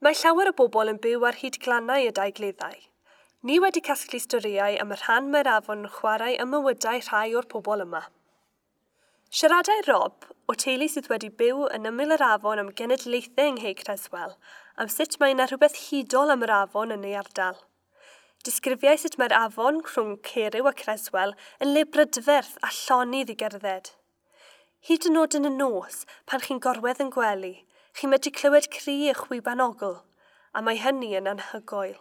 Mae llawer o bobl yn byw ar hyd glannau y Daugleddau. Ni wedi casglu storïau am y rhan mae'r afon yn chwarae ym mywydau rhai o'r pobl yma. Siaradai Rob, o teulu sydd wedi byw yn ymyl yr afon am genedlaethau yng Nghei Creswell, am sut mae yna rhywbeth hudol am yr afon yn ei ardal. Disgrifiai sut mae'r afon rhwng Ceryw a Creswell yn le brydferth a llonydd i gerdded. Hyd yn oed yn y nos, pan chi'n gorwedd yn gwely, chi'n medru clywed cri y chwiban ogl, a mae hynny yn anhygoel.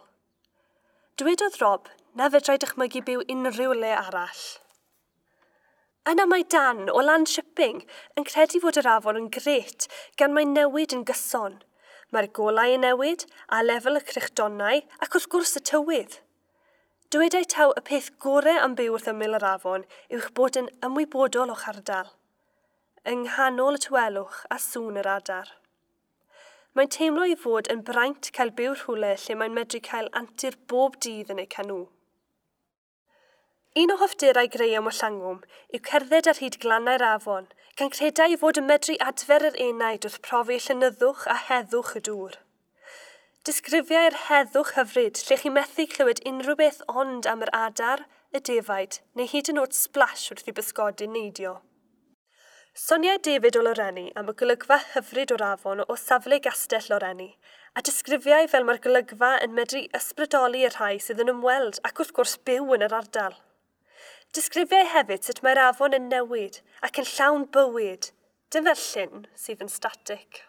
Dwedodd Rob na fedrai dychmygu byw unrhyw le arall. Yna mae Dan o Land Shipping yn credu fod yr afon yn grêt gan mae'n newid yn gyson. Mae'r golau yn newid, a lefel y crychdonnau ac wrth gwrs y tywydd. Dywedai taw y peth gorau am byw wrth ymyl yr afon yw'ch bod yn ymwybodol o'ch ardal. Yng nghanol y tawelwch a sŵn yr adar. Mae'n teimlo ei fod yn braint cael byw rhywle lle mae'n medru cael antur bob dydd yn ei canŵ. Un o hoffterau Graham o Llangwm yw cerdded ar hyd glannau'r afon, gan credai ei fod yn medru adfer yr enaid wrth profi llonyddwch a heddwch y dŵr. Disgrifiai'r heddwch hyfryd lle chi methu clywed unrhyw beth ond am yr adar, y defaid, neu hyd yn oed splash wrth i bysgodyn neidio. Soniai David o Loreni am y golygfa hyfryd o'r afon o safle gastell Loreni, a disgrifiai fel mae'r golygfa yn medru ysbrydoli y rhai sydd yn ymweld ac wrth gwrs byw yn yr ardal. Disgrifiai hefyd sut mae'r afon yn newid ac yn llawn bywyd, dim fel llyn sydd yn static.